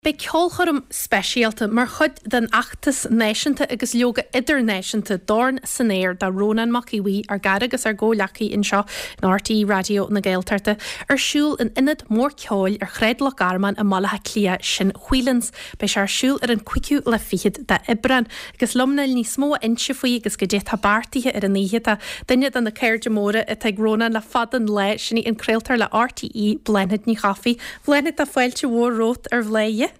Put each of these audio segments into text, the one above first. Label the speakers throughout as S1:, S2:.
S1: Beidh ceolchoirm speisialta mar chuid den fheachtas náisiúnta agus leoga idirnáisiúnta Dorn san Aer do Rónán Mac Aodh Bhuí, ár gcara agus ár gcomhghleacaí anseo in RTÉ Raidió na Gaeltachta, ar siúl in ionad mór ceoil ar Shráid Loch Garman i mBaile Átha Cliath, sin Whelan's. Beidh sé ar siúl ar an cúigiú lá fichead d'Aibreán. Agus liom le níos mó a inse faoi agus goidé atá beartaithe ar an oíche tá duine de na cairde móra atá ag Rónán le fada an lá, sin í an craoltóir le RTÉ, Bláthnaid Ní Chofaigh. Bláthnaid, tá fáilte mhór romhat ar Bhladhaire.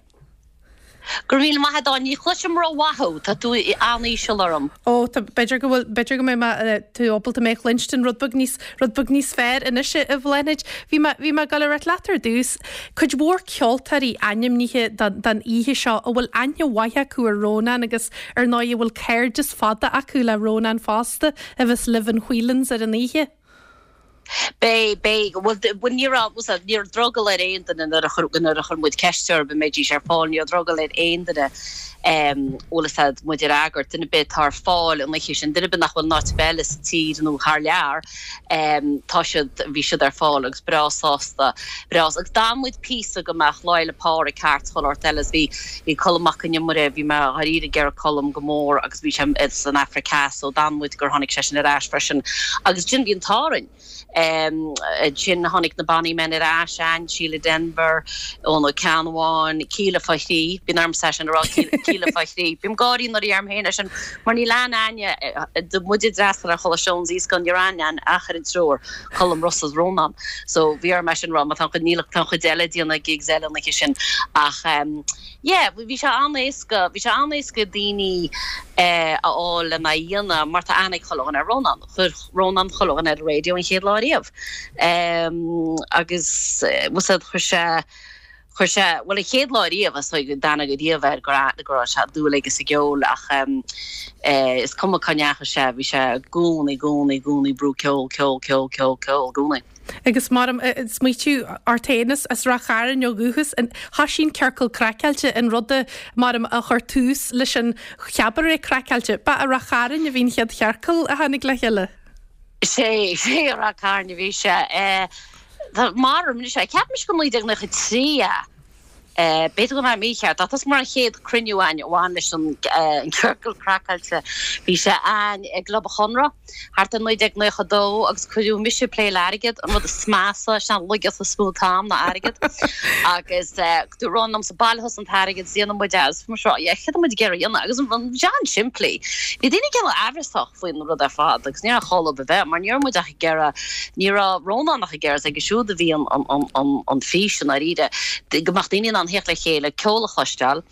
S2: Go raibh míle maith agat, Áine. Ní chloisim ró-mhaith thú. Tá tú an-íseal orm.
S1: Ó, tá, b'fhéidir go bhfuil, b'fhéidir go mbeidh mé, tú ábalta mé a chluinstin rud beag níos, rud beag níos fearr anois, a Bhláthnaid. Bhí mé, bhí mé ag dul a ráit leat ar dtús, cuid mhór ceoltóirí ainmnithe don, don oíche seo a bhfuil aithne mhaith acu ar Rónán agus ar ndóigh a bhfuil cairdeas fada acu le Rónán fosta, a bheas libh in Whelan's ar an oíche.
S2: Beidh, beidh. Bhuel, bhuel ní raibh, bhuel ní raibh drogall ar aon duine nuair a chuir, nuair a chuir muid ceist orthu an mbeidís ar fáil, ní raibh drogall ar aon duine, bhfuil fhios a'd, muid a fhreagairt, duine ar bith atá ar fáil an oíche sin, duine ar bith nach bhfuil in áit ar bith eile sa tír nó thar lear, tá siad, bhí siad ar fáil agus breá sásta, breá, agus d'fhan muid píosa go mbeadh Lá Fhéile Pádraig thart, chuile shórt eile agus bhí, bhí Colm Mac Con Iomaire, bhí mé dháiríre ag iarraidh Colm go mór agus bhí sé san Afraic Theas so d'fhan muid gur tháinig seisean ar ais freisin agus ansin bhí an t-ádh orainn. Ansin tháinig na Bonny Men ar ais, Ann, Síle Denvir, Eoin Ó Ceannabháin, Kíla fá thrí, bíonn ormsa é sin a rá, Kíla fá thrí. Bím ag gáirí nuair a dheirim féin é sin mar níl aithne a'inne, muid ag d'fhreastal ar Choláiste Eoin is níl aithne a'inn ach ar an triúr, Colm, Rossa is Rónán. So bhí orm é sin a rá mar tá an chuid, níl, tá an chuid eile ag déanamh gigs eile an oíche sin ach yeah bhí sé an-éasca, bhí sé an-éasca daoine a fháil lena dhéanamh mar tá aithne ag chuile dhuine ar Rónán. Chuir Rónán chuile dhuine ar an raidió an chéad lá riamh agus bhfuil fhios a'd chuir sé, chuir sé, bhuel an chéad lá riamh is dóigh d'aithne riamh air go raibh, go raibh sé dúil aige sa gceol ach is cuma cá ndeachaigh sé, bhí sé i gcónaí, i gcónaí, i gcónaí ag brú ceol, ceol, ceol, ceol, ceol i gcónaí.
S1: Agus mar smaoitiú ort féin as Ráth Chairn ó dhúchas, thoisigh an Ciorcal Craiceáilte, an rud a, mar a chuir tús leis an Chabaret Craiceáilte. Ba i Ráth Chairn a bhí an chéad chiorcal a tháinig le chéile.
S2: Sé, sé i Ráth Chairn a bhí sé. Mar, anois, ceapaimse gur 1993 é. B'fhéidir go bhfuil mé mícheart, ach tá mar an chéad cruinniú againn a bhain leis an gCiorcal Craiceáilte, bhí sé againn i gClub an Chonradh thart ar 1992 agus cuireadh mise ag plé le airgead, an rud is measa, sin an laigeacht is mó atá a'm ná airgead, agus dúirt Rónán liomsa, bailigh thusa an t-airgead is déanfaidh muid é, agus bhí mise ag rá, yeah, céard tá muid ag iarraidh a dhéanamh, agus bhí sé an-simplí. Bhí daoine cineál aimhreasach faoin rud ar fad agus ní raibh chall a bheith mar ní raibh muid ach ag iarraidh, ní raibh Rónán ach ag iarraidh, is aige siúd a bhí an fhís i ndáiríre, go mbeadh daoine in ann theacht le chéile, ceol a chloisteáil,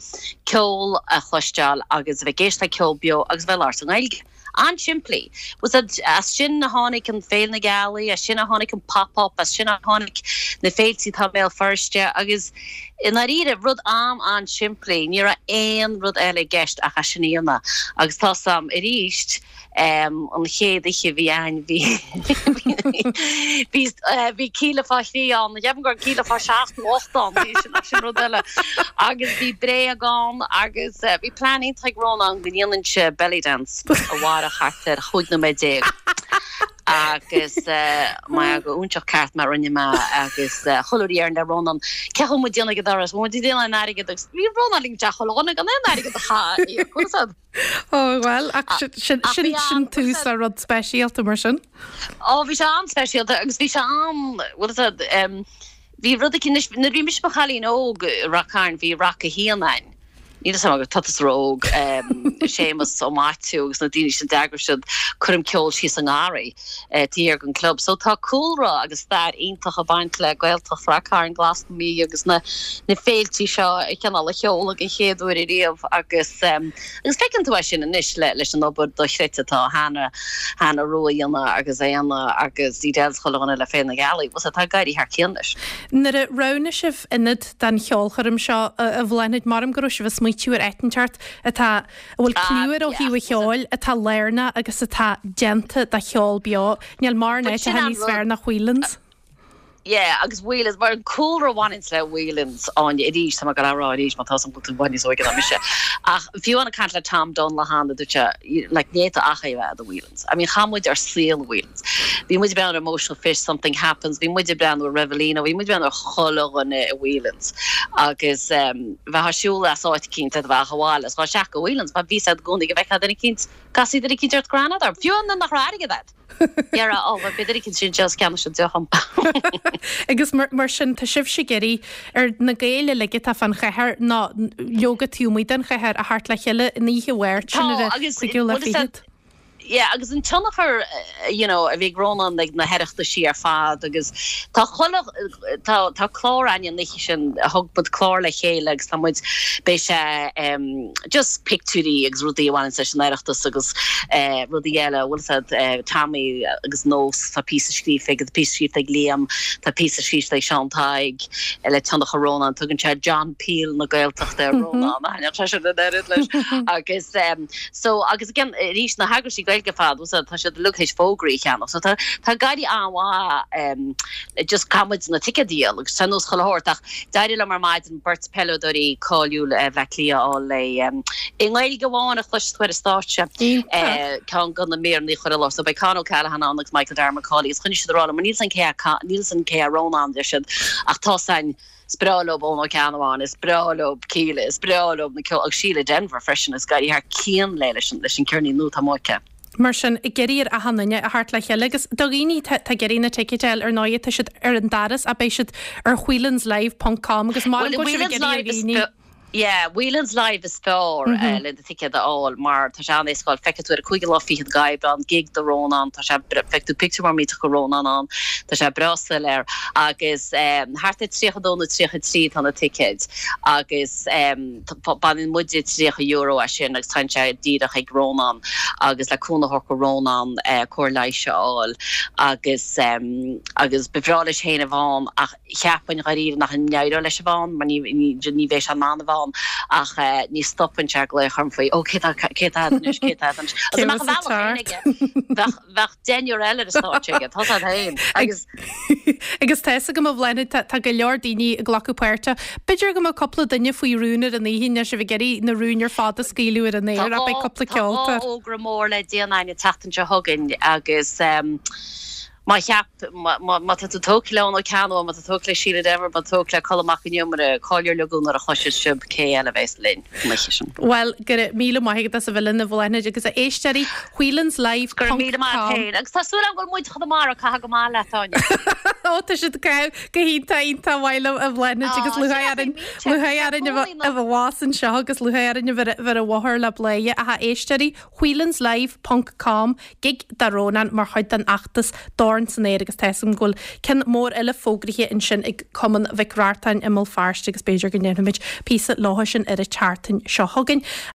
S2: ceol a chloisteáil agus a bheith ag éisteacht le ceol beo agus a bheith ag labhairt i nGaeilge. An-simplí. As sin a tháinig an Féile na Gealaí, as sin a tháinig an Pop Up, as sin a tháinig na féiltí atá i mBéal Feirste agus i ndáiríre, rud an-an-simplí, ní raibh aon rud eile i gceist ach é sin a dhéanamh. Agus tá 's a'm arís, An chéad oíche a bhí a'ainn bhí bhí bhí Kíla fá thrí ann, cheapaim go raibh Kíla fá sheacht nó ocht ann, bhí sin sin rud eile. Agus bhí bréag ann agus bhí plean iontach ag Rónán go ndéanfainnse belly dance a mhairfeadh thart ar chúig nóiméad déag. Agus mar go iontach ceart mar rinne mé agus chuile uair a déarfainn le Rónán cén chaoi muid déanamh ag an doras, bhfuil muid ag déanamh an airgead agus bhí Rónán ag teach chuile dhuine gan aon airgead a chaitheamh.
S1: Ó, bhuel, ach sin sin tús le rud speisialta mar sin.
S2: Ó, bhí sé an-speisialta agus bhí sé an, bhfuil fhios a'd, bhí rud éicint anois, nuair a bhí mise i mo chailín óg i Rath Cairn, bhí Rac a hAon a'inn. Níl fhios a'm, tá tusa ró-óg, Séamus Ó Maitiú agus na daoine sin d'eagraigh siad coirm ceoil síos i ngarraí taobh thiar den club. So tá cúlra agus stair iontach ag baint le Gaeltacht Rath Cairn, Glas na Mí agus na na féiltí seo a chineál a sheoladh den chéad uair ariamh agus agus feiceann tú é sin anois le leis an obair dochreidte atá Hannah Hannah Rua a dhéanamh agus Éanna agus Edel 's chuile dhuine le Féile na Gealaí. Bhuel tá ag éirí thar cionn leis.
S1: Nuair a roghnaigh sibh ionad don cheolchoirm seo a Bhláthnaid, maram go raibh sibh ag smaoitiú ar áit inteacht atá a bhfuil cliú air ó thaobh an cheoil, atá lárnach agus atá déanta do cheol beo. Níl mórán áiteacha níos fearr ná Whelan's.
S2: Yeah, agus Whelan's, mar an cúlra a bhaineanns le Whelan's, Áine, arís, tá mé ag gabháil a rá arís, má tá 's agam go bhfuil tú i bhfad níos óige ná mise. Ach fiú amháin ag caint le Tom Dunne lá cheana, dúirt sé, like, ní fhéadfá ach é a bheith i Whelan's. I mean, chaith muid ár saol i Whelan's. Bhí muid ag breathnú ar Emotional Fish, Something Happens, bhí muid ag breathnú ar Revelino, bhí muid ag breathnú ar chuile dhuine i Whelan's. Agus bheifeá ag siúl as áit eicínt, bheifeá ag gabháil is dhul isteach go Whelan's, mar bhí a fhios agat i gcónaí go bhfeicfeá duine eicínt, casfaí duine eicínt ort go raibh aithne agat orthu, fiú nuair nach raibh airgead agat. Dhera, ó, bheadh duine eicínt sin just ceannaigh siad deoch dhom.
S1: Agus mar sin, tá sibhse ag iarraidh ar na Gaeil uilig atá fán chathair, nó leoga taobh amuigh den chathair, a theacht le chéile an oíche Mháirt sin ar an cúigiú lá fichead.
S2: Yeah, agus an tionchar, you know, a bhí ag Rónán ag na hOireachtaisí ar fad agus tá chuile, tá, tá clár againn an oíche sin, thug muid clár le chéile agus tá muid, beidh sé em just pictiúirí agus rudaí a bhaineanns leis an Oireachtas agus eh rudaí eile, bhfuil fhios a'd, eh Tommy agus Nós, tá píosa scríofa aige, tá píosa scríofa ag Liam, tá píosa scríofa ag Seán Tadhg le tionchar Rónán, tugann sé John Peel na Gaeltachta ar Rónán, thaitneodh sé sin an oiread leis agus em. So, agus again, arís, na heagraisí Gaeilge ar fad, bhfuil tá siad uilig théis fógraí a cheannach. So tá, tá ag éirí an-mhaith, em, just caithfidh muid na ticéid a dhíol agus tá nós chuile shórt ach d'éirigh liom ar maidin beirt peileadóirí cáiliúil eh, Bhleá Cliath a fháil le, em, i nGaeilge amháin a chloisfidh tú ar an stáitse, eh, ceann de na míreanna a chur i láthair. So beidh Con O'Callaghan ann agus Michael Darragh Macauley agus choinnigh siad ag rá liom, níl 's a'm cé hé, níl 's a'm cé hé Rónán, deir siad, ach tá 's a'inn, Is breá leob Eoin Ó Ceannabháin, is breá leob Kíla, is breá leob na ceol, agus Síle Denvir freisin, is ag éirí thar cionn léi leis an leis an ceirnín nua atá amuigh aici.
S1: Mar sin, ag iarraidh ar achan duine a theacht le chéile agus do dhaoine atá ag iarraidh na ticéid a fháil, ar ndóigh, tá siad ar an doras ach beidh siad ar whelanslive ponc com agus mar go bhfuil sibh ag iarraidh ar dhaoine.
S2: Yeah, Whelan's Live is fearr le do thicéad a fháil mar tá sé an-éasca a fháil. Feicfidh tú ar an cúigiú lá fichead d'Aibreán, gig do Rónán, tá sé, feicfidh tú pictiúr mór millteach de Rónán ann, tá sé breá soiléir agus thart ar 32 nó 33 atá na ticéid agus baineann muide €30 as sin agus téann sé díreach ag Rónán agus le cúnamh a thabhairt do Rónán cóir leighis a fháil agus agus ba bhreá leis féin a bheith ann ach Cheapfainn dháiríre nach n-éireodh leis a bheith ann mar ní ní bheidh sé in ann a bheith ann ach ní stopann sé ag glaoch orm faoi ó cé tá cé tá anois cé tá anois agus amach an bhealach féin aige bheadh bheadh deichniúr eile ar an stáitse aige tá siad féin
S1: agus Agus tá fhios agam a Bhláthnaid tá tá go leor daoine ag glacadh páirte. B'fhéidir go mbeadh cúpla duine faoi rún ar an oíche níl sibh ag iarraidh na rúin ar fad a scaoileadh ar an
S2: aer ach beidh cúpla
S1: Tá dhá
S2: ceoltóir. fhógra mór le déanamh againn an tseachtain seo chugainn agus Má cheap, má tá tú tógtha le Eoin Ó Ceannabháin, má tá tú tógtha le Síle Denvir, má tá tú tógtha le Colm Mac Con Iomaire, cáil ar leagadh nuair a chloisfidh sibh cé eile a bheas linn an oíche
S1: sin. Bhuel, go raibh míle maith agat as a bheith linn a Bhláthnaid agus a éisteoirí, whelanslive
S2: Go raibh míle maith agat féin. Agus tá súil agam go bhfuil muid Chonamara ag caitheamh go maith leat, Áine.
S1: Ó, tá siad ag caitheamh go hiontach, iontach maith liom a Bhláthnaid agus lúcháir orainn, lúcháir orainn a bheith abhus anseo agus lúcháir orainn a bheith ar an bhóthar le Bladhaire. Ach a éisteoirí, whelanslive ponc com, Gig do Rónán mar chuid den fheachtas Dorn san Aer agus tá 'fhios agam go bhfuil ceann mór eile fógraithe ansin ag Cumann Mhic Reachtain i mBéal Feirste agus b'fhéidir go ndéanfaimid píosa leo sin ar an tseachtain seo chugainn.